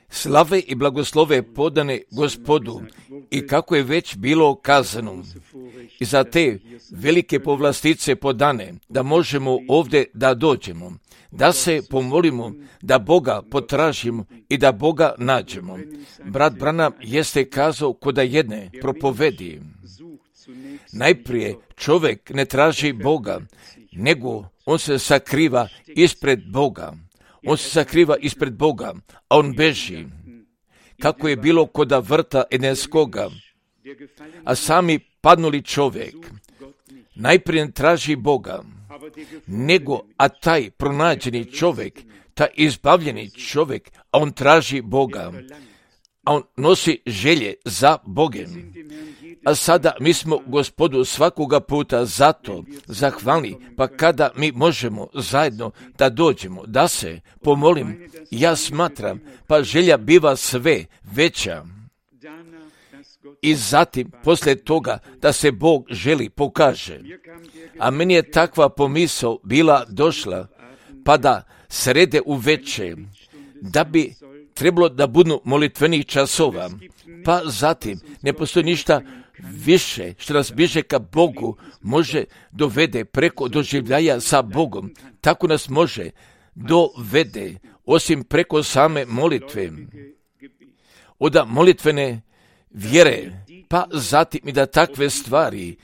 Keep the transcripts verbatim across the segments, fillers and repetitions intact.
Slave i blagoslove podane Gospodu i kako je već bilo kazano, i za te velike povlastice podane, da možemo ovdje da dođemo, da se pomolimo, da Boga potražimo i da Boga nađemo. Brat Branham jeste kazao koda jedne propovedi. Najprije čovjek ne traži Boga, nego on se sakriva ispred Boga. On se sakriva ispred Boga, a on beži. Kako je bilo koda vrta Edenskoga, a sami padnuli čovjek najprije ne traži Boga, nego a taj pronađeni čovjek, taj izbavljeni čovjek, a on traži Boga, a on nosi želje za Bogem. A sada mi smo Gospodu svakoga puta zato zahvalni, pa kada mi možemo zajedno da dođemo, da se pomolim, ja smatram, pa želja biva sve veća. I zatim, poslije toga, da se Bog želi pokaže. A meni je takva pomisao bila došla, pa da srede uveče, da bi trebalo da budu molitvenih časova, pa zatim ne postoji ništa više što nas bliže ka Bogu može dovede preko doživljaja sa Bogom. Tako nas može dovede, osim preko same molitve, od molitvene vjere, pa zatim i da takve stvari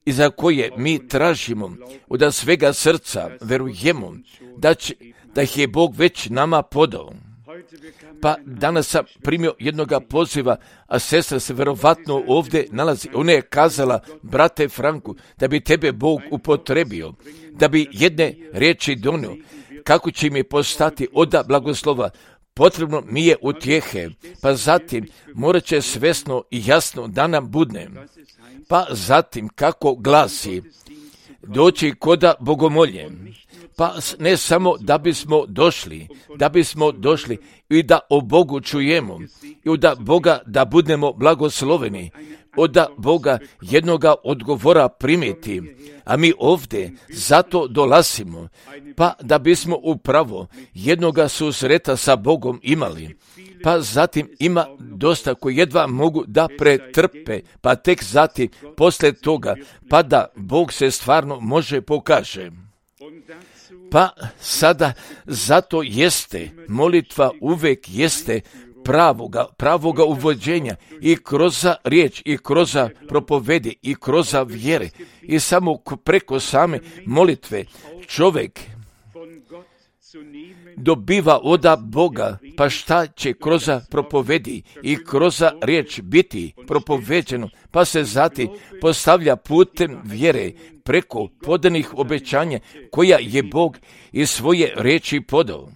i za koje mi tražimo, od svega srca verujemo da, će, da ih je Bog već nama podao. Pa danas sam primio jednoga poziva, a sestra se verovatno ovdje nalazi. Ona je kazala, brate Franku, da bi tebe Bog upotrebio, da bi jedne riječi donio, kako će mi postati oda blagoslova. Potrebno mi je utjehe, pa zatim morat će svesno i jasno da nam budne. Pa zatim kako glasi, doći koda bogomolje. Pa ne samo da bismo došli, da bismo došli i da o Bogu čujemo i da Boga da budemo blagosloveni, od Boga jednoga odgovora primiti, a mi ovdje zato dolazimo, pa da bismo upravo jednoga susreta sa Bogom imali. Pa zatim ima dosta koji jedva mogu da pretrpe, pa tek zatim poslije toga, pa da Bog se stvarno može pokaže. Pa sada zato jeste, molitva uvek jeste pravoga, pravoga uvođenja i kroz riječ, i kroz propovedi, i kroz vjere. I samo preko same molitve čovjek dobiva od Boga, pa šta će kroz propovedi i kroz riječ biti propoveđeno, pa se zatim postavlja putem vjere preko podanih obećanja koja je Bog iz svoje riječi podao.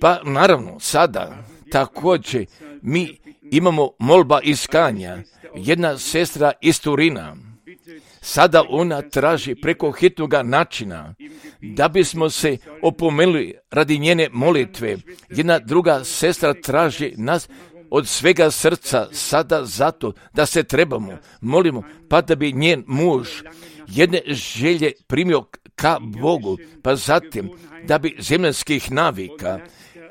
Pa naravno sada također mi imamo molba iskanja. Jedna sestra iz Turina, sada ona traži preko hitnoga načina da bismo se opomenuli radi njene molitve. Jedna druga sestra traži nas od svega srca sada zato da se trebamo, molimo, pa da bi njen muž jedne želje primio ka Bogu, pa zatim da bi zemljanskih navika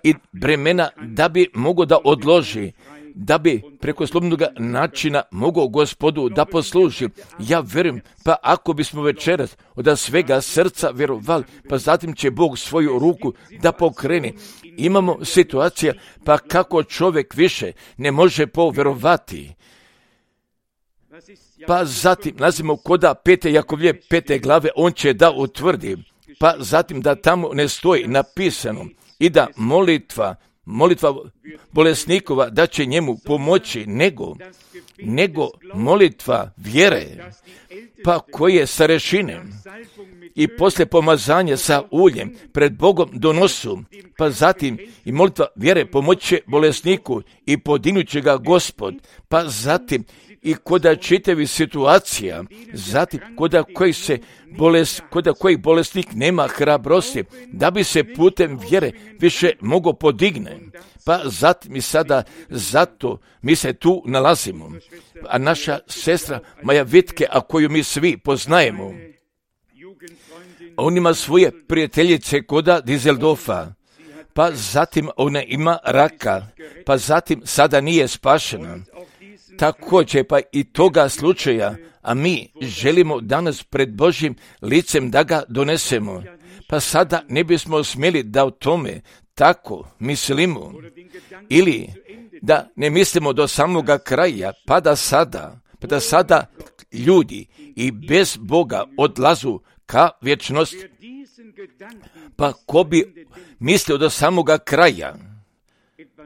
i bremena da bi mogao da odloži, da bi preko slobodnog načina mogao Gospodu da posluži. Ja vjerujem, pa ako bismo večeras od svega srca vjerovali, pa zatim će Bog svoju ruku da pokrene. Imamo situacija, pa kako čovjek više ne može povjerovati. Pa zatim nazimo koda pete Jakovlje pete glave, on će da utvrdi, pa zatim da tamo ne stoji napisano i da molitva, molitva bolesnikova da će njemu pomoći, nego, nego molitva vjere, pa koje starešine i poslije pomazanja sa uljem pred Bogom donosu, pa zatim i molitva vjere pomoće bolesniku i podignut ga Gospod, pa zatim i koda čitavi situacija, zatim koda koji se bolest, koda koji bolesnik nema hrabrosti, da bi se putem vjere više mogao podigne. Pa zatim i sada zato mi se tu nalazimo. A naša sestra Maja Vitke, a koju mi svi poznajemo, on ima svoje prijateljice koda Dizeldorfa, pa zatim ona ima raka, pa zatim sada nije spašena. Također pa i toga slučaja, a mi želimo danas pred Božjim licem da ga donesemo, pa sada ne bismo smjeli da o tome tako mislimo, ili da ne mislimo do samoga kraja, pa da sada, pa da sada ljudi i bez Boga odlazu ka vječnosti. Pa ko bi mislio do samoga kraja,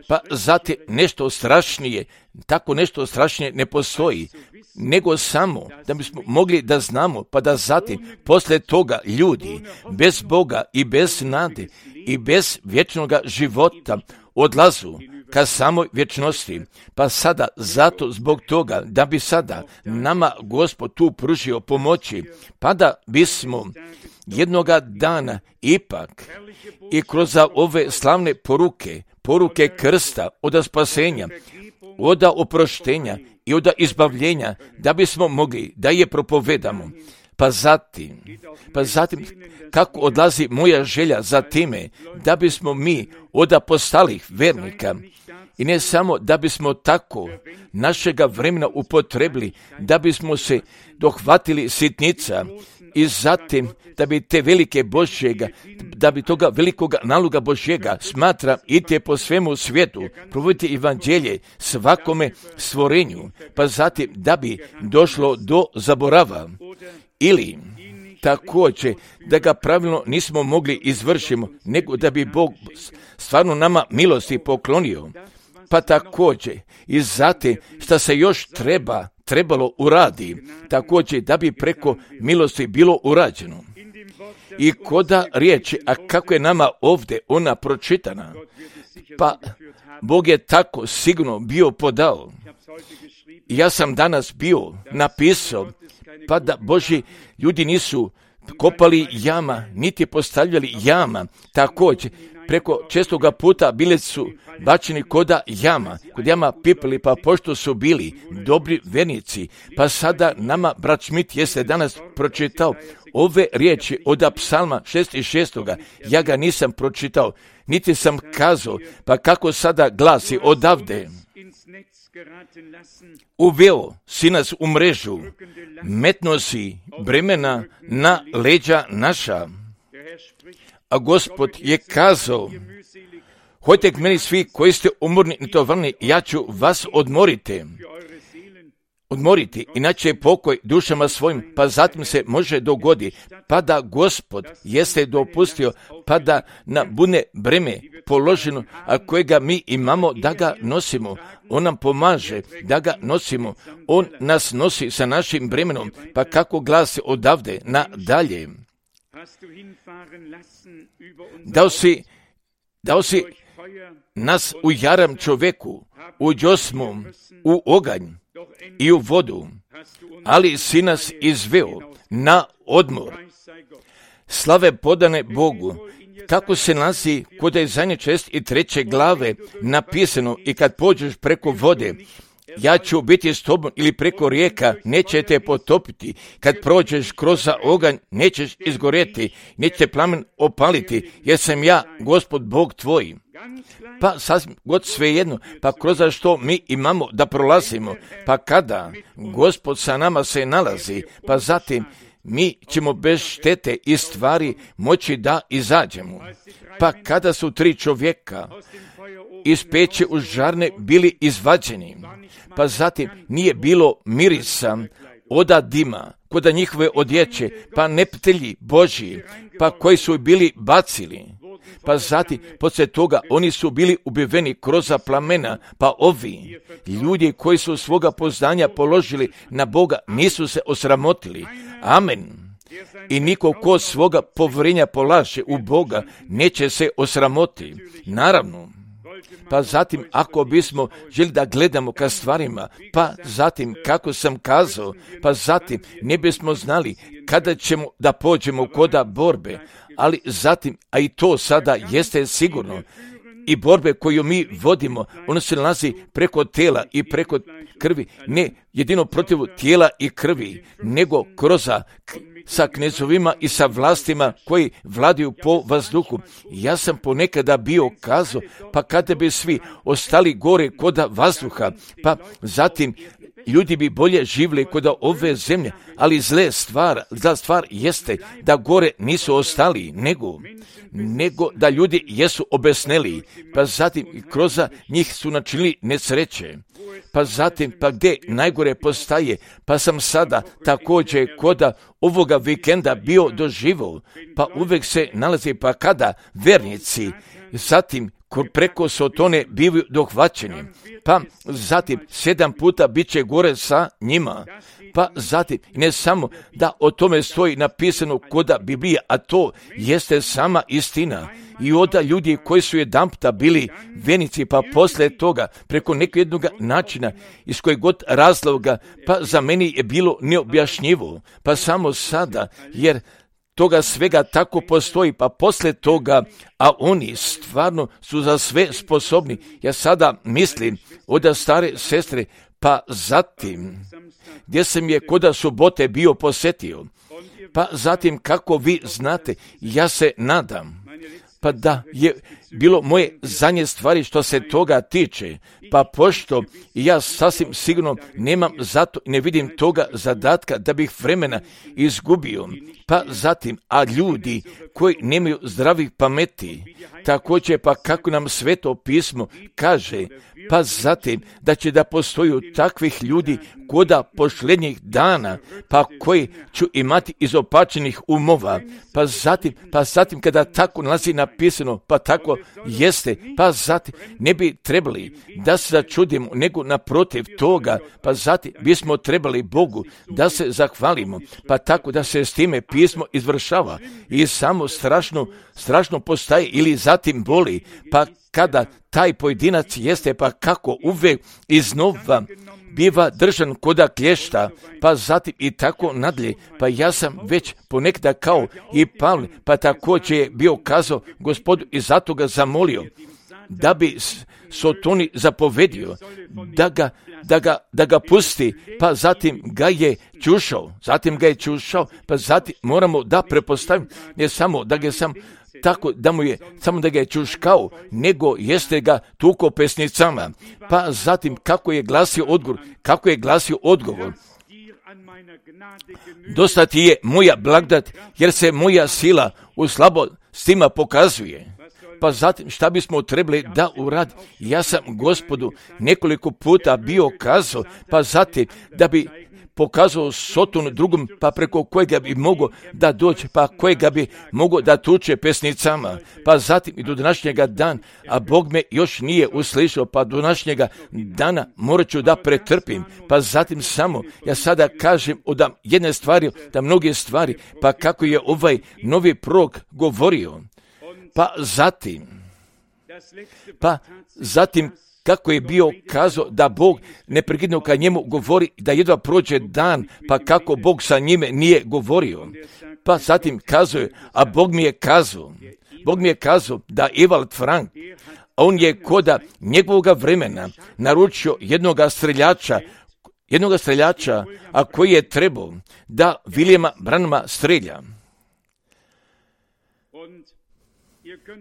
pa zatim nešto strašnije, tako nešto strašnije ne postoji, nego samo da bismo mogli da znamo, pa da zatim poslije toga ljudi bez Boga i bez nade i bez vječnog života odlazu ka samoj vječnosti. Pa sada zato zbog toga da bi sada nama Gospod tu pružio pomoći, pa da bismo jednoga dana ipak i kroz ove slavne poruke, poruke krsta, od spasenja, od oproštenja i od izbavljenja, da bismo mogli da je propovedamo. Pa zatim, pa zatim kako odlazi moja želja za time, da bismo mi od postalih vernika, i ne samo da bismo tako našega vremena upotrebili, da bismo se dohvatili sitnica i zatim da bi te velike Božjega, da bi toga velikoga naloga Božjega smatra i te po svemu svijetu, provoditi evanđelje svakome stvorenju, pa zatim da bi došlo do zaborava, ili također da ga pravilno nismo mogli izvršiti, nego da bi Bog stvarno nama milosti poklonio. Pa također i zatim što se još treba, trebalo uradi, također da bi preko milosti bilo urađeno. I koda riječi, a kako je nama ovdje ona pročitana, pa Bog je tako sigurno bio podao. Ja sam danas bio napisao, pa da Božji ljudi nisu kopali jama, niti postavljali jama, također preko čestoga puta bili su bačeni koda jama, kod jama pipili, pa pošto su bili dobri vernici, pa sada nama brat Schmidt jeste danas pročitao ove riječi od psalma šezdeset šest. Ja ga nisam pročitao, niti sam kazao, pa kako sada glasi odavde. Uveo si nas u mrežu, metno si bremena na leđa naša. A Gospod je kazao, hojte k meni svi koji ste umorni i tovarni, ja ću vas odmoriti. Odmoriti, inače je pokoj dušama svojim, pa zatim se može dogoditi, pa da Gospod jeste dopustio, pa da na bune breme položeno, a kojega mi imamo da ga nosimo. On nam pomaže da ga nosimo, on nas nosi sa našim bremenom, pa kako glasi odavde na dalje. Dao si, dao si nas u jaram čoveku, u džosmu, u oganj i u vodu, ali si nas izveo na odmor. Slave podane Bogu, kako se nalazi kod je zadnje šest i treće glave napisano, i kad pođeš preko vode, ja ću biti s tobom, ili preko rijeka, neće te potopiti. Kad prođeš kroz oganj, nećeš izgorjeti, neće plamen opaliti, jer sam ja, Gospod Bog tvoj. Pa sasvim god svejedno, pa kroz što mi imamo da prolazimo, pa kada Gospod sa nama se nalazi, pa zatim mi ćemo bez štete i stvari moći da izađemo. Pa kada su tri čovjeka iz peće u žarne bili izvađeni, pa zatim nije bilo mirisa oda dima koda njihove odjeće, pa neptelji Božji, pa koji su bili bacili, pa zatim poslije toga oni su bili ubiveni kroz plamena, pa ovi ljudi koji su svoga poznanja položili na Boga nisu se osramotili. Amen. I niko ko svoga povjerenja polaže u Boga neće se osramoti. Naravno. Pa zatim ako bismo želi da gledamo ka stvarima, pa zatim kako sam kazao, pa zatim ne bismo znali kada ćemo da pođemo koda borbe, ali zatim, a i to sada jeste sigurno, i borbe koju mi vodimo, ono se nalazi preko tela i preko krvi, ne jedino protiv tijela i krvi, nego kroz sa knezovima i sa vlastima koji vladaju po vazduhu. Ja sam ponekada bio kazao, pa kada bi svi ostali gore kod vazduha, pa zatim ljudi bi bolje živjeli kod ove zemlje, ali zle stvar, zla stvar jeste da gore nisu ostali, nego, nego da ljudi jesu obesneli, pa zatim kroz njih su načinili nesreće. Pa zatim, pa gdje najgore postaje, pa sam sada također kod ovoga vikenda bio doživio, pa uvijek se nalazi, pa kada vernici, zatim preko Sotone bivaju dohvaćeni, pa zatim sedam puta bit će gore sa njima, pa zatim ne samo da o tome stoji napisano kod Biblije, a to jeste sama istina. I onda ljudi koji su jedanputa bili venici, pa poslije toga preko nekog jednog načina, iz kojeg god razloga, pa za meni je bilo neobjašnjivo, pa samo sada, jer toga svega tako postoji, pa poslije toga, a oni stvarno su za sve sposobni. Ja sada mislim od stare sestre, pa zatim, gdje sam je koda subote bio posjetio, pa zatim kako vi znate, ja se nadam, pa da je bilo moje zadnje stvari što se toga tiče, pa pošto ja sasvim sigurno nemam zato i ne vidim toga zadatka da bih vremena izgubio, pa zatim, a ljudi koji nemaju zdravih pameti, također pa kako nam Sveto pismo kaže, pa zatim da će da postoju takvih ljudi koda posljednjih dana, pa koji ću imati izopačenih umova, pa zatim, pa zatim kada tako nalazi napisano, pa tako jeste, pa zatim ne bi trebali da se začudimo, nego naprotiv toga, pa zatim bismo trebali Bogu da se zahvalimo, pa tako da se s time pismo izvršava i samo strašno, strašno postaje ili zatim boli, pa kada taj pojedinac jeste, pa kako uvijek iznova biva držan koda klješta, pa zatim i tako nadalje, pa ja sam već ponekada kao i Pavle, pa također je bio kazao Gospodu i zato ga zamolio, da bi Sotoni zapovedio, da ga, da ga, da ga pusti, pa zatim ga je čušao, zatim ga je čušao, pa zatim moramo da prepostavimo, ne samo da ga sam tako da mu je, samo da ga je čuškao, nego jeste ga tuko pesnicama. Pa zatim kako je glasio odgovor, kako je glasio odgovor, dosta ti je moja blagodat, jer se moja sila u slabostima pokazuje. Pa zatim šta bismo trebali da uradi? Ja sam Gospodu nekoliko puta bio kazao, pa zatim da bi pokazao Sotonu drugom, pa preko kojega bi mogao da dođe, pa kojega bi mogao da tuče pesnicama, pa zatim i do današnjega dana, a Bog me još nije uslišao, pa do današnjega dana morat ću da pretrpim, pa zatim samo, ja sada kažem od jedne stvari, da mnoge stvari, pa kako je ovaj novi prorok govorio, pa zatim, pa zatim, kako je bio kazao da Bog neprekidno ka njemu govori, da jedva prođe dan, pa kako Bog sa njime nije govorio. Pa zatim kazuje, a Bog mi je kazao, Bog mi je kazao da Ewald Frank, on je koda njegovoga vremena naručio jednoga streljača, jednoga streljača, a koji je trebao da Williama Branhama strelja.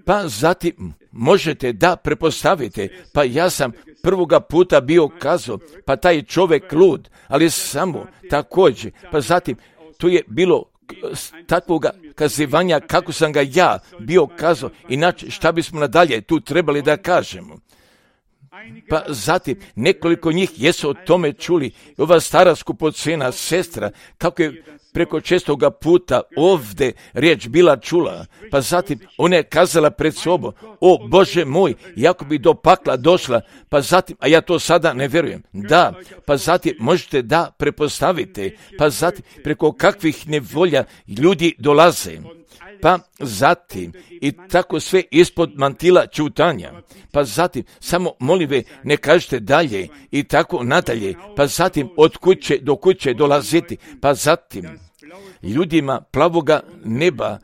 Pa zatim možete da prepostavite, pa ja sam prvoga puta bio kazao, pa taj čovjek lud, ali samo također, pa zatim tu je bilo takvoga kazivanja kako sam ga ja bio kazao, inače šta bismo nadalje tu trebali da kažemo. Pa zatim nekoliko njih jesu o tome čuli, ova stara skupocena sestra, kako je preko čestoga puta ovdje riječ bila čula, pa zatim ona je kazala pred sobom, o Bože moj, jako bi do pakla došla, pa zatim, a ja to sada ne vjerujem, da, pa zatim možete da prepostavite, pa zatim preko kakvih nevolja ljudi dolaze, pa zatim i tako sve ispod mantila čutanja, pa zatim samo molive ne kažete dalje i tako nadalje, pa zatim od kuće do kuće dolaziti, pa zatim ljudima plavoga neba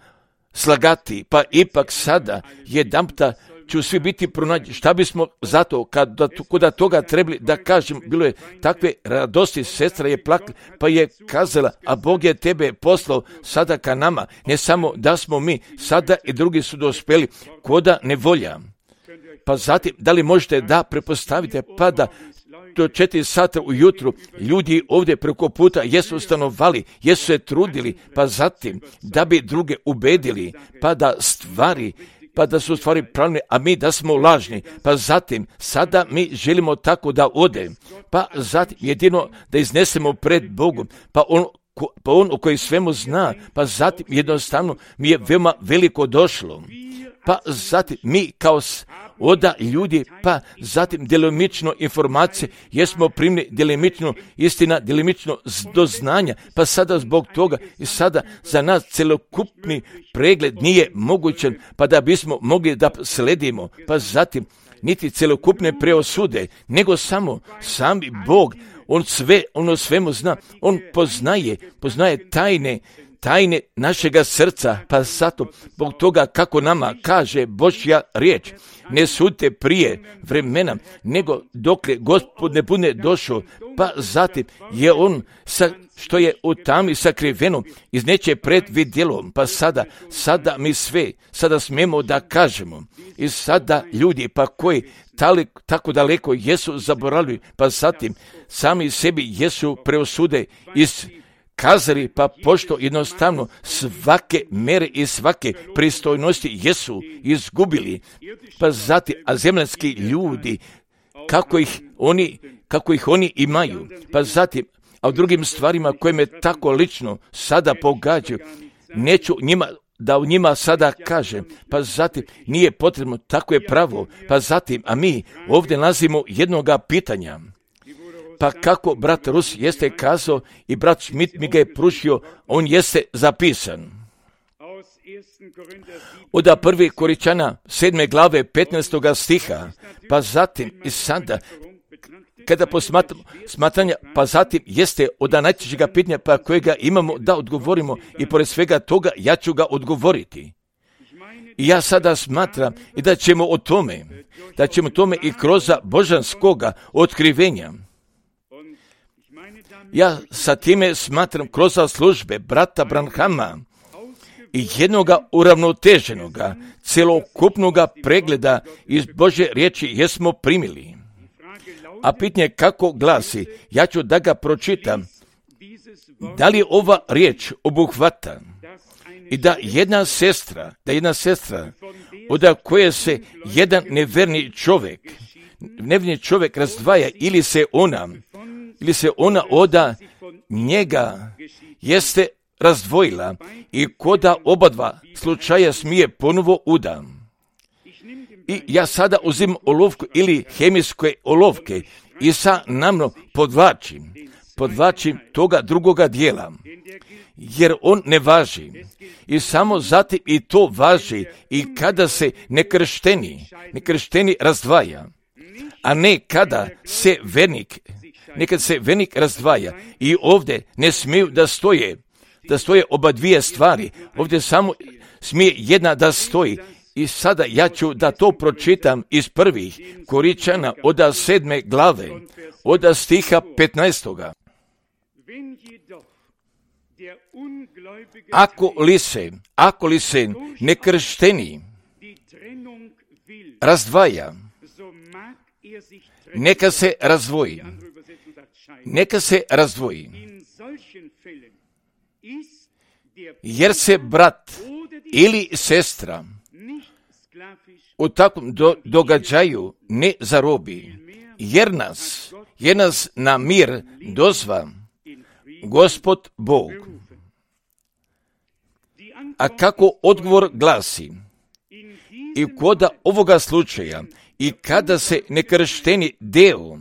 slagati, pa ipak sada jedanputa ću svi biti pronađeni. Šta bismo zato, kada kuda toga trebali da kažem, bilo je takve radosti, sestra je plakala, pa je kazala, a Bog je tebe poslao sada ka nama, ne samo da smo mi, sada i drugi su dospeli, koda nevolja. Pa zatim, da li možete da prepostavite, pa da do četiri sata ujutru ljudi ovdje preko puta jesu stanovali, jesu se trudili, pa zatim da bi druge ubedili, pa da stvari, pa da su stvari pravilne, a mi da smo lažni, pa zatim sada mi želimo tako da ode, pa zatim jedino da iznesemo pred Bogom, pa on pa on u koji svemu zna, pa zatim jednostavno mi je veoma veliko došlo, pa zatim mi kao oda ljudi, pa zatim djelomično informacije, jesmo primili djelomično istina, djelomično doznanja, pa sada zbog toga i sada za nas celokupni pregled nije mogućan, pa da bismo mogli da sledimo, pa zatim niti celokupne preosude, nego samo sami Bog, on sve, on o svemu zna, on poznaje, poznaje tajne, tajne našega srca, pa zato, zbog toga kako nama kaže Božja riječ, ne sudite prije vremena, nego dokle Gospod ne bude došao, pa zatim je on sa, što je u tami sakriveno, izneće pred vidjelom, pa sada, sada mi sve, sada smemo da kažemo, i sada ljudi, pa koji tali, tako daleko jesu zaboravili, pa zatim sami sebi jesu preosude iz kazali, pa pošto jednostavno svake mere i svake pristojnosti jesu izgubili, pa zatim, a zemljanski ljudi, kako ih oni, kako ih oni imaju, pa zatim, a u drugim stvarima koje me tako lično sada pogađaju, neću njima da u njima sada kažem, pa zatim nije potrebno, tako je pravo, pa zatim, a mi ovdje nalazimo jednoga pitanja. Pa kako brat Rus jeste kazao i brat Schmidt mi ga je pružio, on jeste zapisan. Od prvi Koričana sedme glave petnaestoga stiha, pa zatim i sada, kada posmatramo smatranja, pa zatim jeste od najčešćega pitanja pa kojega imamo da odgovorimo i pored svega toga ja ću ga odgovoriti. I ja sada smatram i da ćemo o tome, da ćemo tome i kroz božanskoga otkrivenja. Ja sa time smatram kroz službe brata Branhama i jednoga uravnoteženoga, celokupnoga pregleda iz Božje riječi jesmo primili. A pitanje kako glasi, ja ću da ga pročitam, da li ova riječ obuhvata i da jedna sestra, da jedna sestra, od koje se jedan neverni čovjek, neverni čovjek razdvaja ili se ona, ili se ona oda njega jeste razdvojila i koda oba dva slučaja smije ponovo uda. I ja sada uzim olovku ili hemijske olovke i sa namno podvlačim, podvlačim toga drugoga dijela, jer on ne važi. I samo zatim i to važi i kada se nekršteni, nekršteni razdvaja, a ne kada se vernik, nekad se vernik razdvaja i ovdje ne smiju da stoje, da stoje oba dvije stvari, ovdje samo smije jedna da stoji. I sada ja ću da to pročitam iz prvih Koričana od sedme glave, od stiha petnaestoga. Ako li se, ako li se nekršteni razdvaja, neka se razdvoji, neka se razdvoji, jer se brat ili sestra u takvom do, događaju ne zarobi, jer nas, jer nas na mir dozva Gospod Bog. A kako odgovor glasi, i koda ovoga slučaja, i kada se nekršteni deo,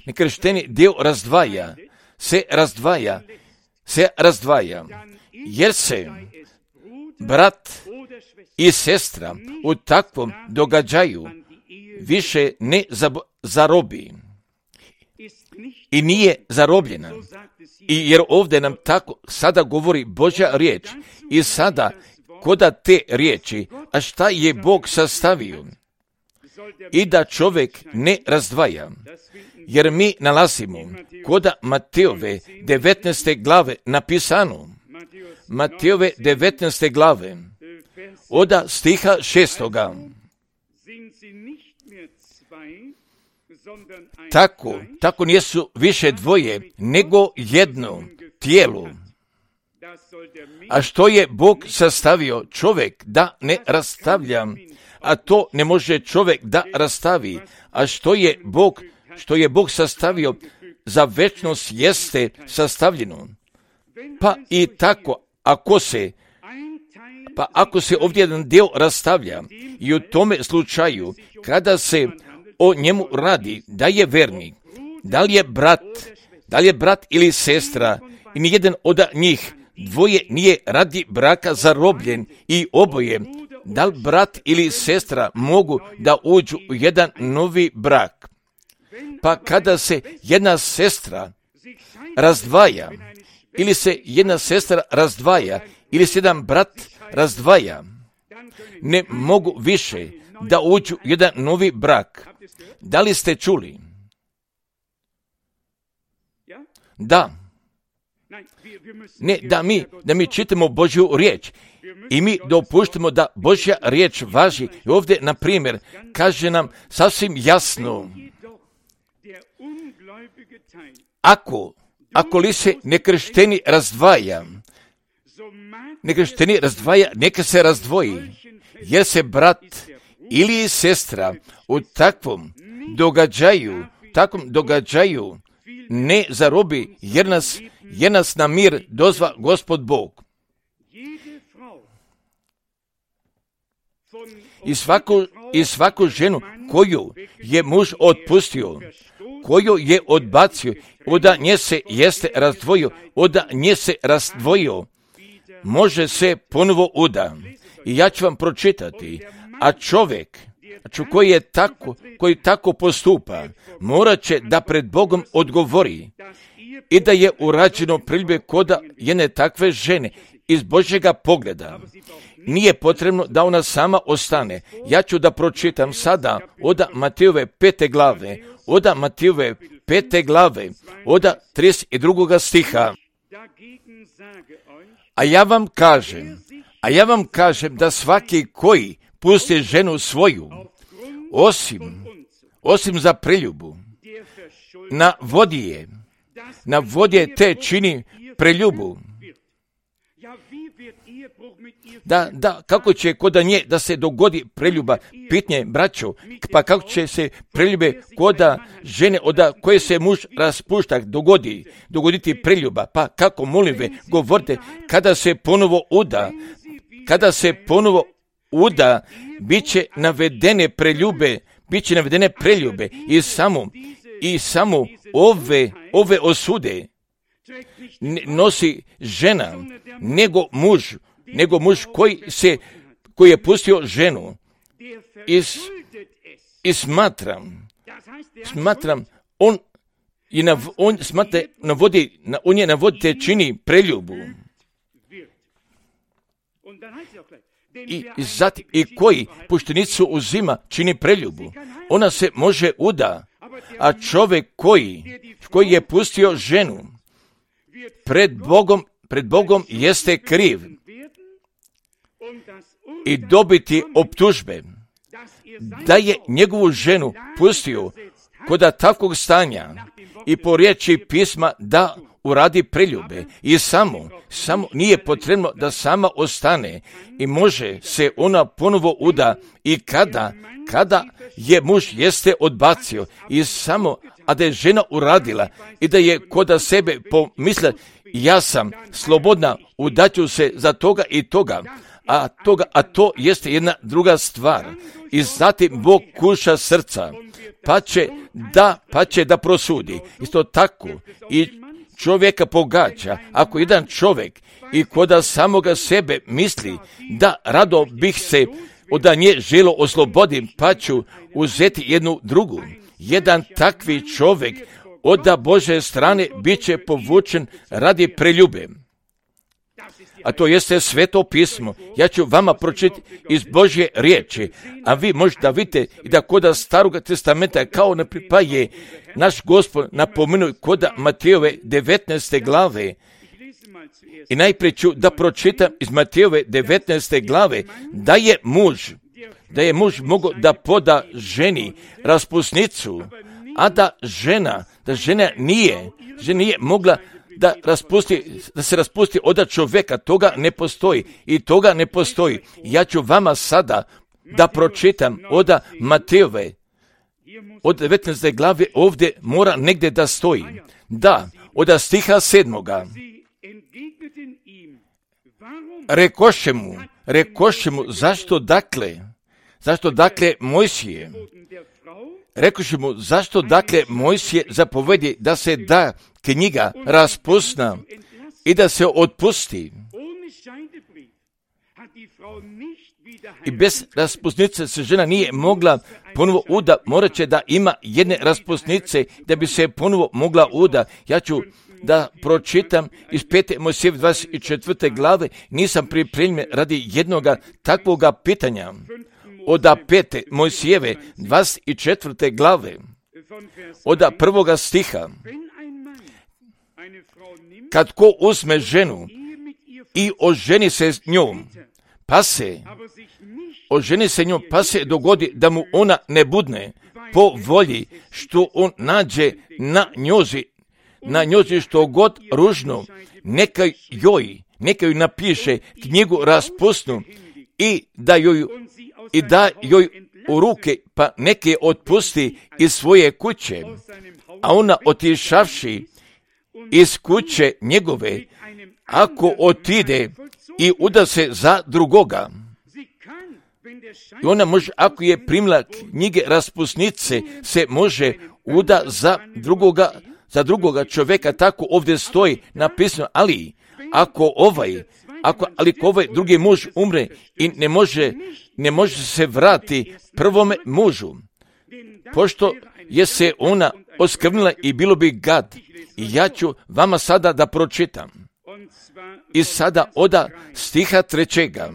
nekršteni deo razdvaja, se razdvaja, se razdvaja, jer se brat i sestra u takvom događaju više ne zarobi i nije zarobljena. I jer ovdje nam tako sada govori Božja riječ i sada koda te riječi, a šta je Bog sastavio? i da čovjek ne razdvaja. Jer mi nalazimo kod Matejove devetnaeste glave napisano, Matejove devetnaeste glave, od stiha šestoga. Tako, tako nisu više dvoje, nego jedno tijelo. A što je Bog sastavio, čovjek da ne rastavlja, a to ne može čovjek da rastavi. A što je Bog, što je Bog sastavio, za večnost jeste sastavljeno. Pa i tako, ako se, pa ako se ovdje jedan dio rastavlja, i u tome slučaju, kada se o njemu radi, da je vernik, da li je brat, da li je brat ili sestra, i nijedan od njih dvoje nije radi braka zarobljen, i oboje, da li brat ili sestra mogu da uđu u jedan novi brak. Pa kada se jedna sestra razdvaja, ili se jedna sestra razdvaja, ili se jedan brat razdvaja, ne mogu više da uđu u jedan novi brak. Da li ste čuli? Da. Ne, da mi, da mi čitamo Božju riječ i mi dopuštamo da Božja riječ važi. I ovdje, na primjer, kaže nam sasvim jasno, ako, ako li se nekršteni razdvaja, nekršteni razdvaja, neka se razdvoji, jer se brat ili sestra u takvom događaju, takvom događaju ne zarobi, jer nas, jer nas na mir dozva Gospod Bog. I svaku, i svaku ženu koju je muž otpustio, koju je odbacio, od nje se jeste razdvojio, od nje se razdvojio, može se ponovo uda. I ja ću vam pročitati, a čovjek koji je tako, koji tako postupa, morat će da pred Bogom odgovori i da je urađeno priljube kod jedne takve žene iz Božjega pogleda. Nije potrebno da ona sama ostane. Ja ću da pročitam sada od Matejove pete glave, od Matejove pete glave, od trideset drugog stiha. A ja vam kažem, a ja vam kažem da svaki koji pusti ženu svoju, osim, osim za preljubu, na vodi je, na vodi je te čini preljubu. Da, da, kako će kod nje da se dogodi preljuba, pitanje, braćo, pa kako će se preljube kod žene od koje se muž raspušta dogodi, dogoditi preljuba, pa kako, molim ve, govorite, kada se ponovo uda, kada se ponovo uda, bit će navedene preljube, bit će navedene preljube i samo, i samo ove, ove osude nosi žena, nego muž, nego muž koji se, koji je pustio ženu. I, i smatram, smatram, on je na, on smatra, navodi, on je navodite čini preljubu. I, i, zati, i koji puštenicu uzima čini preljubu, ona se može uda, a čovjek koji, koji je pustio ženu, pred Bogom, pred Bogom jeste kriv i dobiti optužbe da je njegovu ženu pustio kod takvog stanja i po riječi pisma da uradi preljube i samo, samo nije potrebno da sama ostane i može se ona ponovo uda i kada, kada je muž jeste odbacio i samo, a da je žena uradila i da je kod sebe pomisla, ja sam slobodna, udaću se za toga i toga, a, toga, a to jeste jedna druga stvar. I zatim Bog kuša srca, pa će da, pa će da prosudi. Isto tako i čovjeka pogađa, ako jedan čovjek i kod samoga sebe misli da rado bih se od nje želo oslobodim, pa ću uzeti jednu drugu. Jedan takvi čovjek od Bože strane bit će povučen radi preljube. a to jeste Sveto pismo. Ja ću vama pročitati iz Božje riječi, a vi možete vidite i da koda Staroga testamenta kao ne pripaje naš Gospod napomenuo koda Matejove devetnaeste glave. I najprije ću da pročitam iz Matejove devetnaeste glave da je muž, da je muž mogao da poda ženi raspusnicu, a da žena, da žena nije, žena nije mogla da raspusti, da se raspusti od čovjeka, toga ne postoji i toga ne postoji. Ja ću vama sada da pročitam od Matejove, od devetnaeste glave ovdje mora negdje da stoji. Da, od stiha sedmoga. Rekoše mu, rekoše mu, zašto dakle, zašto dakle Mojsije, rekoše mu, zašto dakle Mojsije zapovedi da se da knjiga raspusna i da se otpusti. I bez raspusnice se žena nije mogla ponovo uda, morat će da ima jedne raspusnice da bi se ponovo mogla uda. Ja ću da pročitam iz pete Mojsijeve dvadeset četvrte glave, nisam pripremljen radi jednoga takvoga pitanja. Od pete Mojsijeve dvadeset četvrte glave, od prvoga stiha. Kad ko uzme ženu i oženi se s njom, pa se, oženi se njom, pa se dogodi da mu ona ne budne po volji što on nađe na njozi, na njozi što god ružno, neka joj, neka joj napiše knjigu raspusnu i da joj, i da joj u ruke, pa neke je otpusti iz svoje kuće, a ona otišavši iz kuće njegove, ako otide i uda se za drugoga. I ona može, ako je primila knjige raspusnice, se može uda za drugoga, za drugoga čovjeka, tako ovdje stoji napisano, ali ako ovaj, ako, ali ako ovaj drugi muž umre i ne može, ne može se vrati prvome mužu, pošto je se ona oskvrnila i bilo bi gad. I ja ću vama sada da pročitam. I sada oda stiha trećega.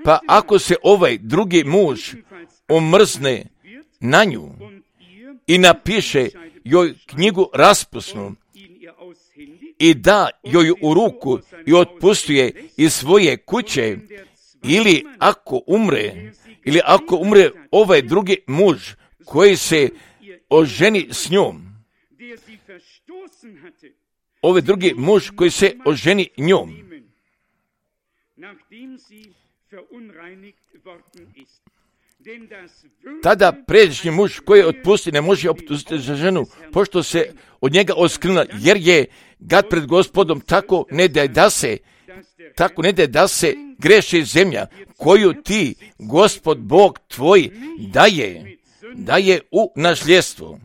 Pa ako se ovaj drugi muž omrzne na nju i napiše joj knjigu raspusnu i da joj u ruku i otpustuje iz svoje kuće, ili ako umre, ili ako umre ovaj drugi muž koji se oženi s njom, ovaj drugi muž koji se oženi njom, tada pređašnji muž koji je otpusti ne može otpustiti za ženu, pošto se od njega oskrnula, jer je gad pred Gospodom, tako ne da da se, tako ne da da se greši zemlja koju ti, Gospod Bog tvoj, daje, daje u nasljedstvo.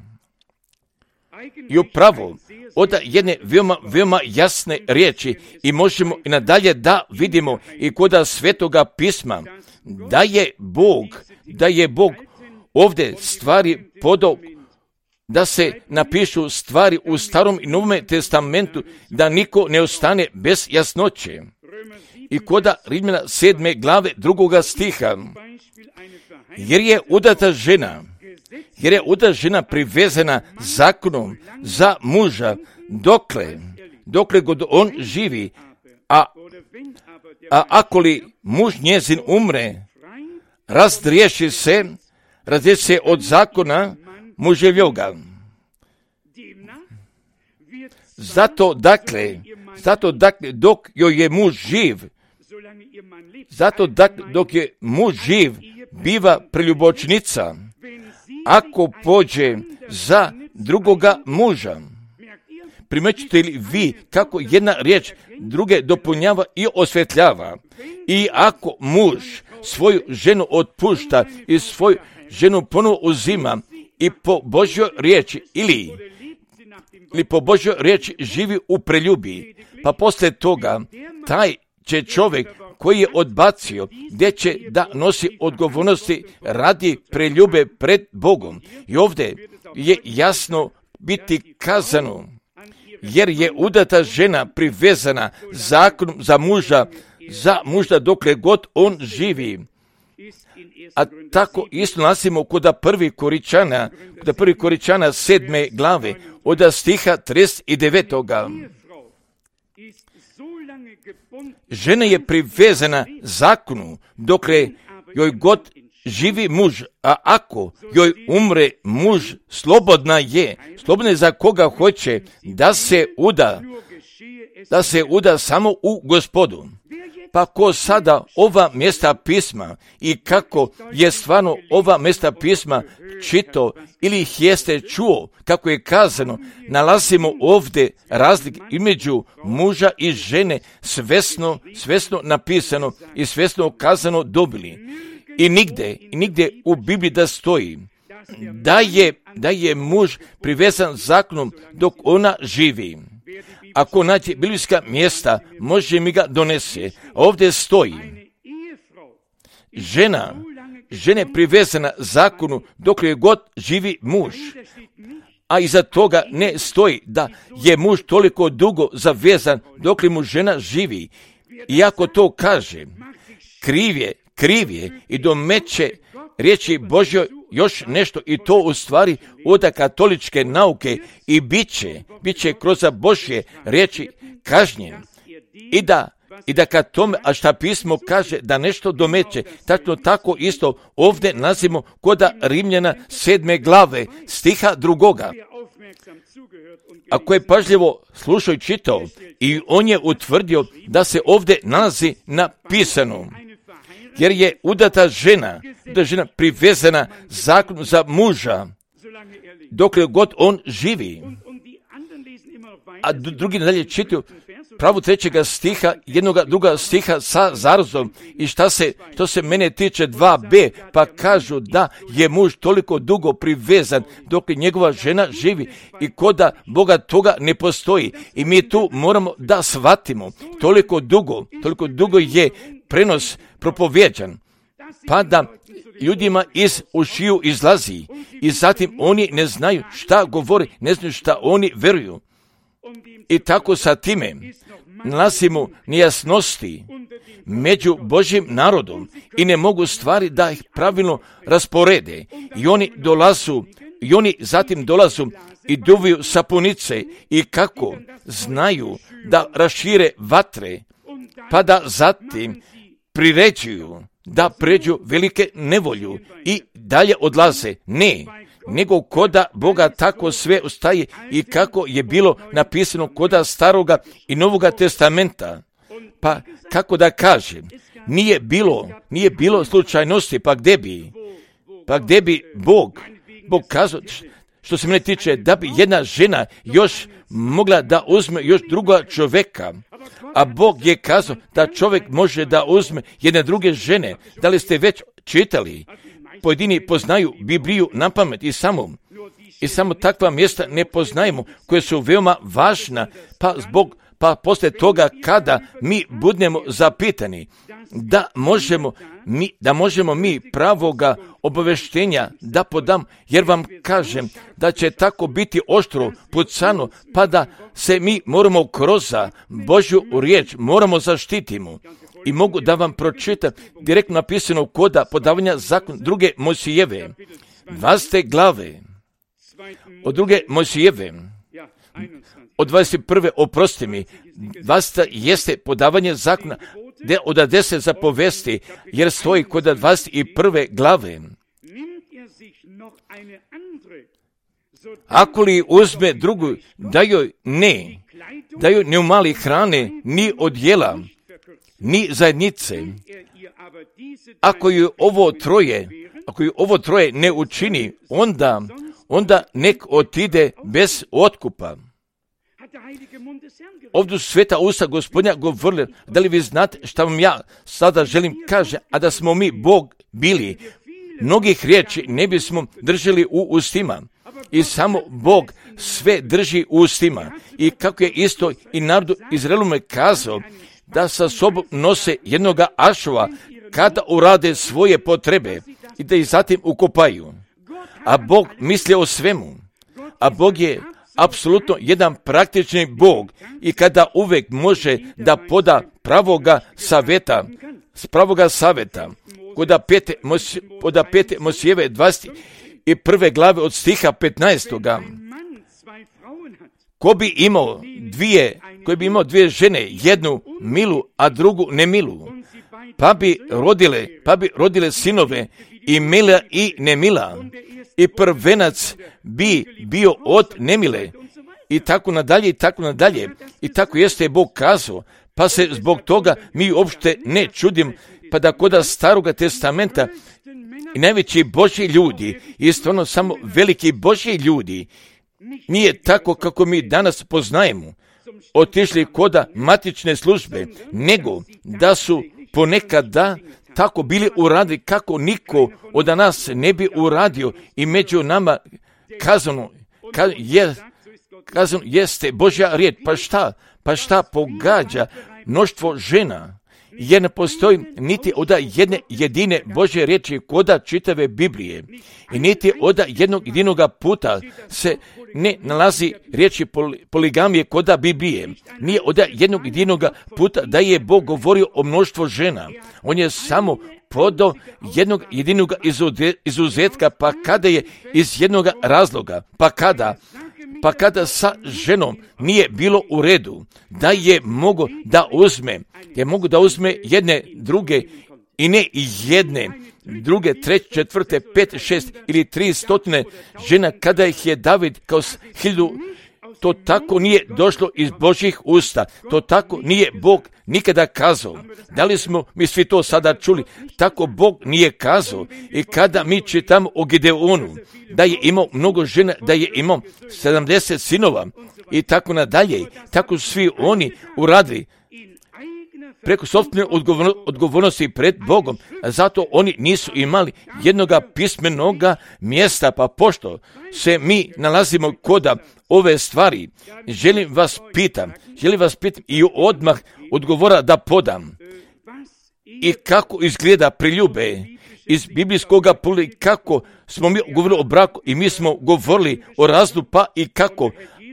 I upravo od jedne veoma, veoma jasne riječi i možemo i nadalje da vidimo i koda Svetoga pisma, da je Bog, da je Bog ovdje stvari podao, da se napišu stvari u Starom i Novom testamentu, da niko ne ostane bez jasnoće. I koda Rimljana sedme glave drugoga stiha, jer je udata žena, jer je udata žena privezana zakonom za muža, dokle, dokle god on živi, a, a ako li muž njezin umre, razdriješi se, razdriješi se od zakona muževljoga. Zato dakle, zato dakle, dok joj je muž živ, zato dakle, dok je muž živ, biva preljubočnica, ako pođe za drugoga muža. Primećete li vi kako jedna riječ druge dopunjava i osvetljava? I ako muž svoju ženu otpušta i svoju ženu ponovo uzima i po Božjoj riječi ili, ili po Božjoj riječi živi u preljubi, pa poslije toga taj će čovjek koji je odbacio, gdje će da nosi odgovornosti radi preljube pred Bogom. I ovdje je jasno biti kazano, jer je udata žena privezana zakonom za muža, za muža dokle god on živi. A tako isto nalazimo kod prvi Koričana, kod prvi Koričana sedme glave, od stiha trideset devetoga. Žena je privezana zakonu dokle joj god živi muž, a ako joj umre muž, slobodna je, slobodna je za koga hoće da se uda, da se uda samo u Gospodu. Pa ko sada ova mjesta pisma i kako je stvarno ova mjesta pisma čito ili ih jeste čuo, kako je kazano, nalazimo ovdje razlik između muža i žene svesno, svesno napisano i svesno kazano dobili. I nigde, i nigde u Bibliji da stoji da je, da je muž privezan zakonom dok ona živi. Ako nađe biblijska mjesta, može mi ga donese. Ovdje stoji žena, žene privezana zakonu dok je god živi muž. A iza toga ne stoji da je muž toliko dugo zavezan dok li mu žena živi. Iako to kaže, kriv je, kriv je i domeće riječi Božjoj još nešto i to u stvari od katoličke nauke i bit će, bit će kroz Božje riječi kažnjen. I da, i da kad tome, a šta pismo kaže da nešto domeće, tako tako isto ovdje nalazimo kod Rimljana sedme glave, stiha drugoga. Ako je pažljivo slušao i čitao, i on je utvrdio da se ovdje nalazi napisano, jer je udata žena, da žena privezana zakonu za muža, dokle god on živi. A drugi dalje čitaju pravu trećega stiha, jednoga druga stiha sa zarazom. I šta se, što se mene tiče dva be, pa kažu da je muž toliko dugo privezan dok njegova žena živi i koda Boga toga ne postoji. I mi tu moramo da shvatimo, toliko dugo, toliko dugo je prenos propovjeđan, pa da ljudima iz ušiju izlazi i zatim oni ne znaju šta govori, ne znaju šta oni veruju. I tako sa time nalazimo nejasnosti među Božjim narodom i ne mogu stvari da ih pravilno rasporede. I oni dolazu, i oni zatim dolazu i duviju sapunice i kako znaju da rašire vatre, pa da zatim priređuju da pređu velike nevolju i dalje odlaze. Ne, nego koda Boga tako sve ostaje i kako je bilo napisano koda Staroga i Novoga testamenta. Pa kako da kažem, nije bilo, nije bilo slučajnosti, pa gdje bi, pa gdje bi Bog, Bog kazao, što se mene tiče, da bi jedna žena još mogla da uzme još druga čovjeka, a Bog je kazao da čovjek može da uzme jedne druge žene. Da li ste već čitali? Pojedini poznaju Bibliju na pamet i samo, i samo takva mjesta ne poznajemo, koje su veoma važna, pa zbog, pa poslije toga kada mi budemo zapitani, da možemo mi, da možemo mi pravoga obaveštenja da podam, jer vam kažem da će tako biti oštro pucano, pa da se mi moramo kroz Božju riječ moramo zaštitimo. I mogu da vam pročitam direktno napisano koda podavanja zakon druge Mojsijeve, dvadeset glave, od druge Mojsijeve, od dvadeset prve oprosti mi, dvadeseta jeste podavanje zakona, de, od deset zapovesti, jer stoji kod dvadeset prve glave. Ako li uzme drugu, da joj ne, da joj ne umali hrane, ni odjela, ni zajednice. Ako ju ovo troje, ako ju ovo troje ne učini, onda, onda nek otide bez otkupa. Ovdje su sveta usta Gospodnja govorili, da li vi znate šta vam ja sada želim kaže, a da smo mi Bog bili, mnogih riječi ne bismo držali u ustima. I samo Bog sve drži u ustima. I kako je isto i narodu Izraelome kazao, da sa sobom nose jednoga ašova kada urade svoje potrebe i da ih zatim ukopaju. A Bog misli o svemu. A Bog je, apsolutno jedan praktični Bog i kada uvek može da poda pravoga saveta, s pravoga saveta, kod pete, kod pete Mosijeve dvadeset prve glave od stiha petnaestoga. Ko bi imao dvije, koji bi imao dvije žene, jednu milu, a drugu nemilu, pa bi rodile, pa bi rodile sinove i mila i nemila, i prvenac bi bio od nemile, i tako nadalje, i tako nadalje, i tako jeste Bog kazao, pa se zbog toga mi uopšte ne čudim, pa da kod Staroga testamenta i najveći Božji ljudi, i stvarno samo veliki Božji ljudi, nije tako kako mi danas poznajemo, otišli koda matične službe, nego da su ponekada tako bili uradili kako niko od nas ne bi uradio i među nama kazano, ka, je, kazano jeste Božja riječ. Pa šta? Pa šta pogađa mnoštvo žena? Jer ne postoji niti od jedne jedine Božje riječi koda čitave Biblije i niti od jednog jedinoga puta se ne nalazi riječi poligamije koda Biblije. Nije od jednog jedinoga puta da je Bog govorio o mnoštvo žena. On je samo podao jednog jedinog izuzetka, pa kada je iz jednog razloga, pa kada Pa kada sa ženom nije bilo u redu, da je mogo da uzme, je mogo da uzme jedne, druge i ne jedne, druge, treće, četvrte, pet, šest ili tri stotine žena, kada ih je David kao hiljadu, to tako nije došlo iz Božjih usta, to tako nije Bog nikada kazao. Da li smo mi svi to sada čuli? Tako Bog nije kazao. I kada mi čitamo o Gideonu, da je imao mnogo žena, da je imao sedamdeset sinova i tako nadalje, tako svi oni uradili preko sopstvene odgovornosti pred Bogom, a zato oni nisu imali jednoga pismenoga mjesta, pa pošto se mi nalazimo koda ove stvari, želim vas pitam, želim vas pitam i odmah odgovora da podam. I kako izgleda priljube iz biblijskog poli, kako smo mi govorili o braku i mi smo govorili o razdu, pa i kako,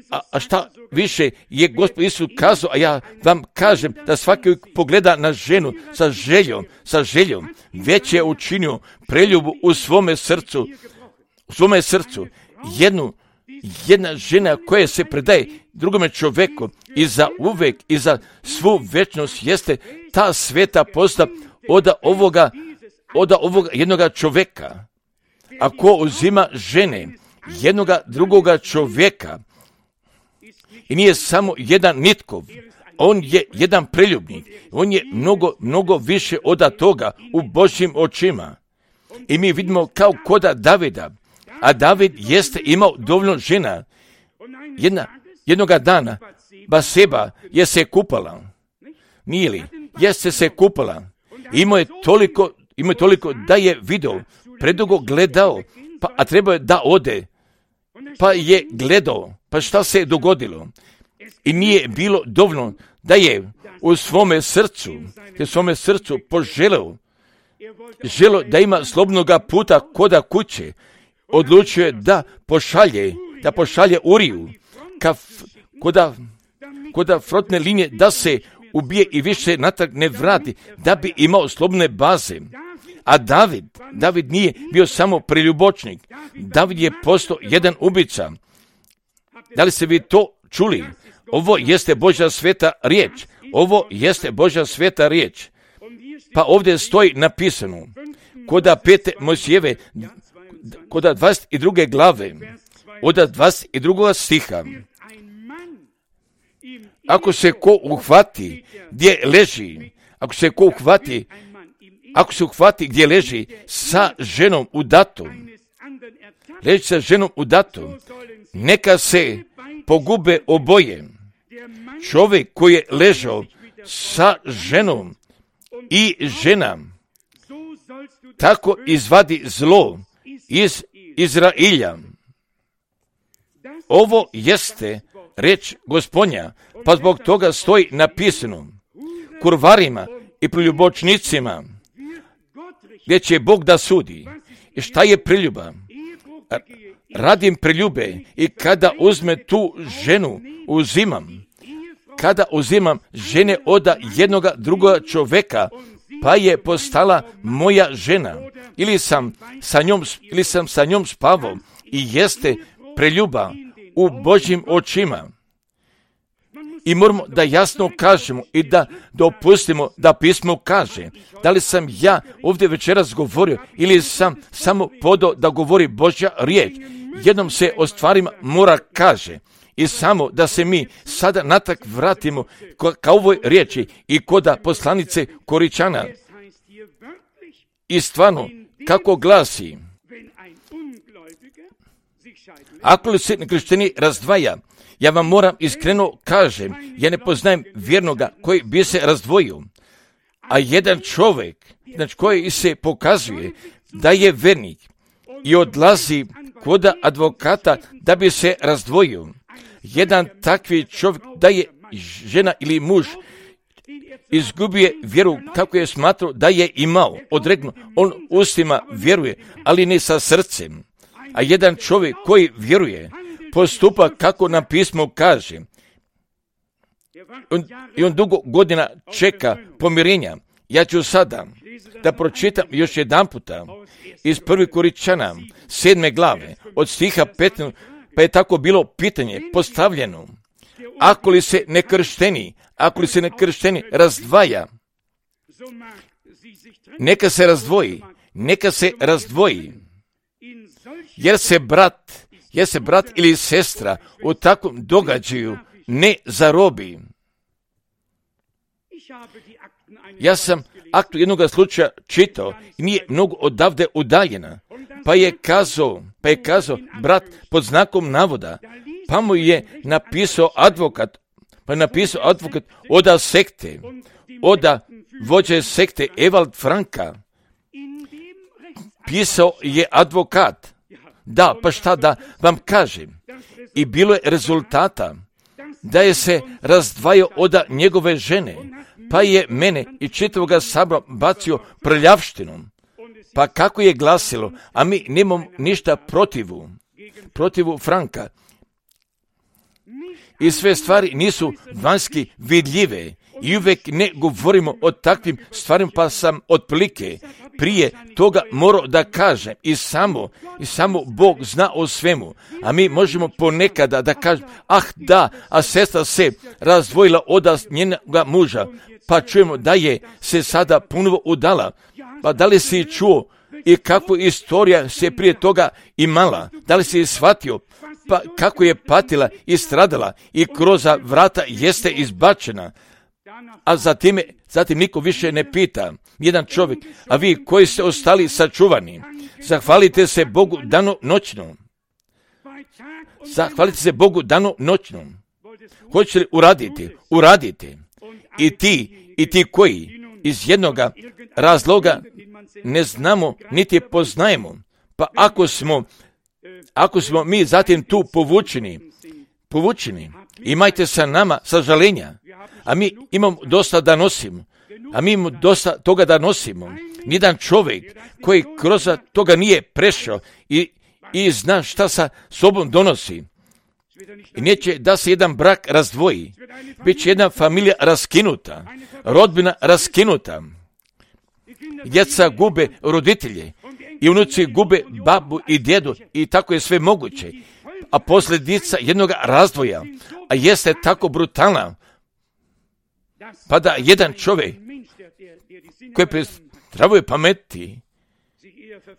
a, a šta više je Gospod Isus kazao, a ja vam kažem da svaki pogleda na ženu sa željom, sa željom, već je učinio preljubu u svome srcu, u svome srcu, jednu, jedna žena koja se predaje drugome čoveku i za uvek i za svu večnost jeste ta sveta posta od ovoga, od ovoga jednoga čoveka. Ako uzima žene jednoga drugoga čovjeka i nije samo jedan nitkov, on je jedan preljubnik, on je mnogo, mnogo više od toga u Božjim očima. I mi vidimo kao koda Davida, a David jeste imao dovoljno žena. Jedna, jednoga dana Baseba je se kupala, nije li? Jeste se kupala. Imao je toliko, imao je toliko da je video, predugo gledao, pa, a trebao je da ode, pa je gledao, pa šta se je dogodilo? I nije bilo dovoljno da je u svome srcu, u svome srcu poželeo, želo da ima slobodnoga puta koda kuće, odlučio je da pošalje, da pošalje Uriju, ka koda, koda frotne linije, da se ubije i više natrag ne vrati, da bi imao slobodne baze. A David, David nije bio samo preljubočnik, David je postao jedan ubica. Da li ste vi to čuli? Ovo jeste Božja sveta riječ, ovo jeste Božja sveta riječ. Pa ovdje stoji napisano, koda pete Mojsijeve, koda dvadeset druge glave, od dvadeset drugog stiha. Ako se ko uhvati gdje leži, ako se ko uhvati, ako se uhvati gdje leži sa ženom u datom, leži sa ženom u datom, neka se pogube oboje. Čovjek koji je ležao sa ženom i žena, tako izvadi zlo iz Izrailja. Ovo jeste reč Gospodnja, pa zbog toga stoji napisano kurvarima i preljubočnicima, gdje će Bog da sudi. I šta je preljuba? radim preljube i kada uzme tu ženu, uzimam, kada uzimam žene od jednoga drugoga čoveka, pa je postala moja žena, ili sam sa njom, ili sam sa njom spavao i jeste preljuba u Božjim očima. I moramo da jasno kažemo i da dopustimo da pismo kaže da li sam ja ovdje večeras govorio ili sam samo podao da govori Božja riječ. Jednom se o stvarima mora kaže i samo da se mi sada natak vratimo ka ovoj riječi i koda poslanice Koričana. I stvarno, kako glasi, ako li se nekršteni razdvaja, ja vam moram iskreno kažem, ja ne poznajem vjernoga koji bi se razdvojio, a jedan čovjek, znači koji se pokazuje da je vernik i odlazi kod advokata da bi se razdvojio. Jedan takvi čovjek da je žena ili muž izgubio vjeru kako je smatrao da je imao, odregnu, on ustima vjeruje, ali ne sa srcem. A jedan čovjek koji vjeruje, postupa kako nam pismo kaže. On, I on dugo godina čeka pomirenja. Ja ću sada da pročitam još jedan puta iz prvi Koričana, sedme glave, od stiha petnaestog, pa je tako bilo pitanje postavljeno. Ako li se nekršteni, ako li se nekršteni razdvaja, neka se razdvoji, neka se razdvoji, jer se brat, jer se brat ili sestra u takvom događaju ne zarobi. Ja sam aktu jednog slučaja čitao i nije mnogo odavde udaljena, pa je kazao, pa je kazao brat pod znakom navoda, pa mu je napisao advokat, pa je napisao advokat oda sekte, oda vođe sekte Evald Franka, pisao je advokat. Da, pa šta da vam kažem? I bilo je rezultata da je se razdvajao od njegove žene, pa je mene i čitavoga sabora bacio prljavštinom. Pa kako je glasilo, a mi nemamo ništa protivu, protivu Franka. I sve stvari nisu vanjski vidljive i uvijek ne govorimo o takvim stvarima, pa sam otprilike prije toga morao da kažem i samo, i samo Bog zna o svemu, a mi možemo ponekada da kažemo, ah da, a sestra se razdvojila od njenoga muža, pa čujemo da je se sada ponovo udala, pa da li si čuo i kakvu istorija se prije toga imala, da li si shvatio, pa kako je patila i stradala i kroz vrata jeste izbačena, a zatim, zatim niko više ne pita, jedan čovjek, a vi koji ste ostali sačuvani, zahvalite se Bogu dano noćno. Zahvalite se Bogu dano noćno. Hoćete li uraditi? Uradite. I ti, i ti koji iz jednoga razloga ne znamo niti poznajemo, pa ako smo, ako smo mi zatim tu povučeni, povučeni, imajte sa nama sažalenja, a mi imamo dosta da nosimo, a mi imamo dosta toga da nosimo. Nijedan čovjek koji kroz toga nije prešao i, i zna šta sa sobom donosi. I neće da se jedan brak razdvoji, bit će jedna familija raskinuta, rodbina raskinuta. Djeca gube roditelje i unuci gube babu i djedu i tako je sve moguće. A posljedica jednog razdvoja, a jeste tako brutalna, pa da jedan čovjek koji pri zdravoj pameti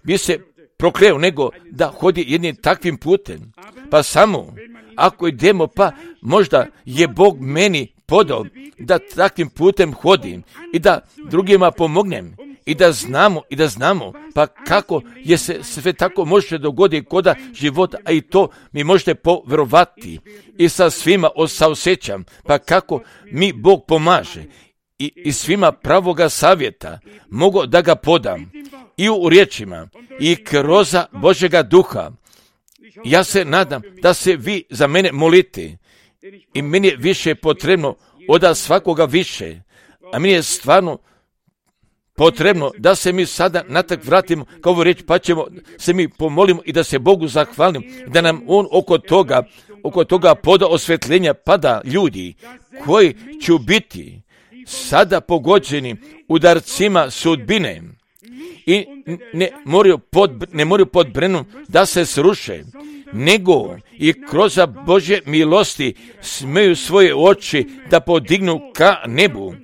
bi se prokleo nego da hodi jednim takvim putem. Pa samo ako idemo, pa možda je Bog meni podao da takvim putem hodim i da drugima pomognem i da znamo i da znamo pa kako je se sve tako može dogoditi koda života, a i to mi možete povjerovati i sa svima saosjećam pa kako mi Bog pomaže i, i svima pravoga savjeta mogu da ga podam i u riječima i kroz Božjega duha. Ja se nadam da se vi za mene molite i meni je više potrebno od svakoga više, a meni je stvarno potrebno da se mi sada natak vratimo kao ovu riječ, pa ćemo se mi pomolimo i da se Bogu zahvalimo, da nam On oko toga, oko toga poda osvetljenja, pada ljudi koji će biti sada pogođeni udarcima sudbine i ne moraju pod, ne moraju pod brenom da se sruše, nego i kroz Božje milosti smeju svoje oči da podignu ka nebu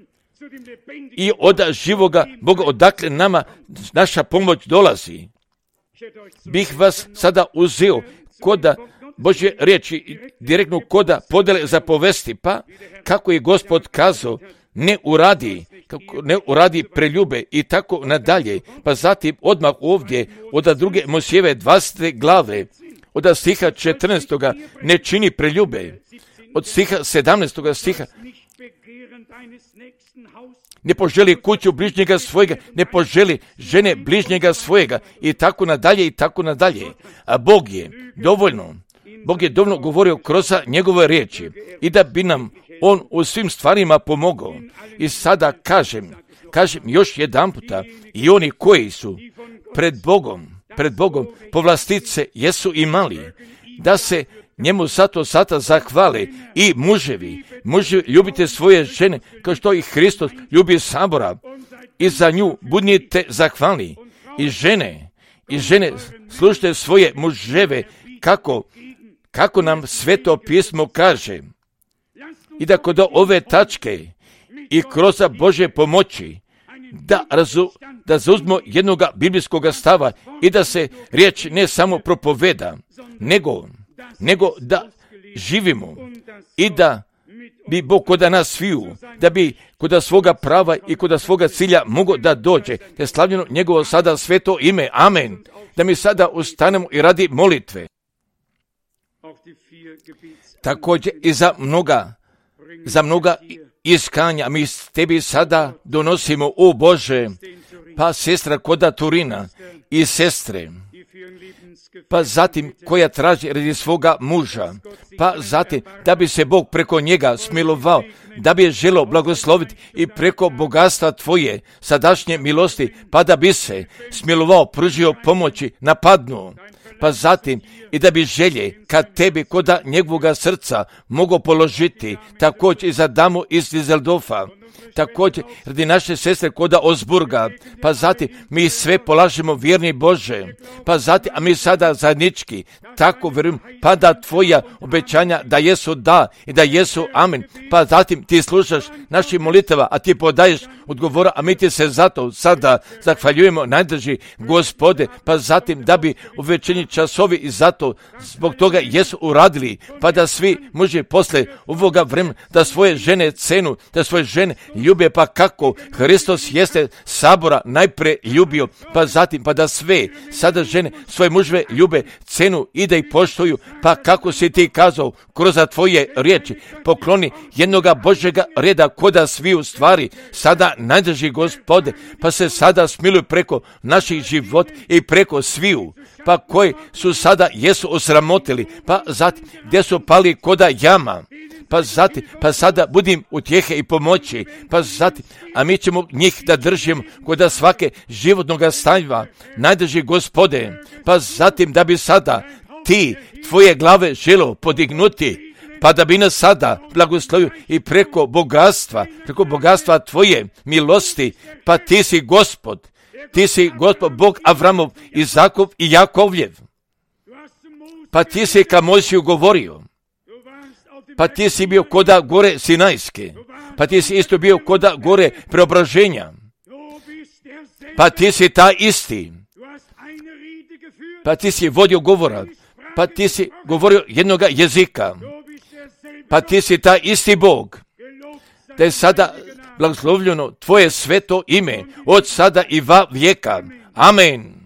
i od živoga Boga, odakle nama naša pomoć dolazi. Bih vas sada uzeo koda Božje riječi, direktno koda podele za povesti, pa kako je Gospod kazao, ne uradi, kako ne uradi preljube i tako nadalje. Pa zatim odmah ovdje od druge Mojsijeve dvadesete glave, od stiha četrnaestoga ne čini preljube, od stiha sedamnaestoga stiha ne poželi kuću bližnjega svojega, ne poželi žene bližnjega svojega i tako nadalje i tako nadalje. A Bog je dovoljno, Bog je dovoljno govorio kroz njegove riječi i da bi nam On u svim stvarima pomogao. I sada kažem, kažem još jedan puta, i oni koji su pred Bogom, pred Bogom povlastice jesu imali, da se njemu zato sada zahvale i muževi, muževi ljubite svoje žene kao što i Hristos ljubi sabora i za nju budnite zahvalni. I žene, i žene slušajte svoje muževe kako, kako nam Sveto pismo kaže. I da kod ove tačke i kroz Božje pomoći da, razu, da zauzmo jednoga biblijskog stava i da se riječ ne samo propoveda, nego, nego da živimo i da bi Bog kod nas sviju, da bi kod svoga prava i kod svoga cilja mogo da dođe, te slavljeno njegovo sada sveto ime. Amen. Da mi sada ustanemo i radi molitve. Također i za mnoga, za mnoga iskanja mi tebi sada donosimo, o Bože, pa sestra koda Turina i sestre, pa zatim koja traži radi svoga muža, pa zatim da bi se Bog preko njega smilovao, da bi je želio blagosloviti i preko bogatstva tvoje sadašnje milosti, pa da bi se smilovao, pružio pomoći napadnu, pa zatim i da bi želje kad tebi koda njegovoga srca mogu položiti, također i za damu iz Dizeldorfa, također radi naše sestre koda Osburga, pa zatim mi sve polažemo, vjerni Bože, pa zatim, a mi sada zajednički tako vjerujem, pa da tvoja obećanja da jesu da i da jesu amen, pa zatim ti slušaš naših molitava, a ti podaješ odgovora, a mi ti se zato sada zahvaljujemo, najdrži Gospode, pa zatim da bi u večernji časovi i zato zbog toga jesu uradili, pa da svi muži posle ovoga vremena da svoje žene cenu, da svoje žene ljube, pa kako Hristos jeste sabora najpre ljubio, pa zatim pa da sve sada žene svoje muževe ljube, cenu i da ih poštuju, pa kako si ti kazao kroz tvoje riječi, pokloni jednoga Božjega reda koda svi u stvari sada najdrži Gospode, pa se sada smiluju preko naših život i preko sviju, pa koji su sada jesu osramotili, pa zatim gdje su pali koda jama, pa zatim, pa sada budim utjehe i pomoći, pa zatim, a mi ćemo njih da držimo koda svake životnoga stanja, najdrži Gospode, pa zatim da bi sada ti tvoje glave želo podignuti, pa da bi nas sada blagoslovio i preko bogatstva, preko bogatstva tvoje milosti, pa ti si Gospod, ti si Gospod Bog Avramov, Izakov i Jakovljev, pa ti si ka Mojsiju govorio, pa ti si bio koda gore Sinajske, pa ti si isto bio koda gore Preobraženja, pa ti si ta isti, pa ti si vodio govora, pa ti si govorio jednoga jezika, pa ti si ta isti Bog, da je sada blagoslovljeno tvoje sveto ime od sada i va vijeka. Amen.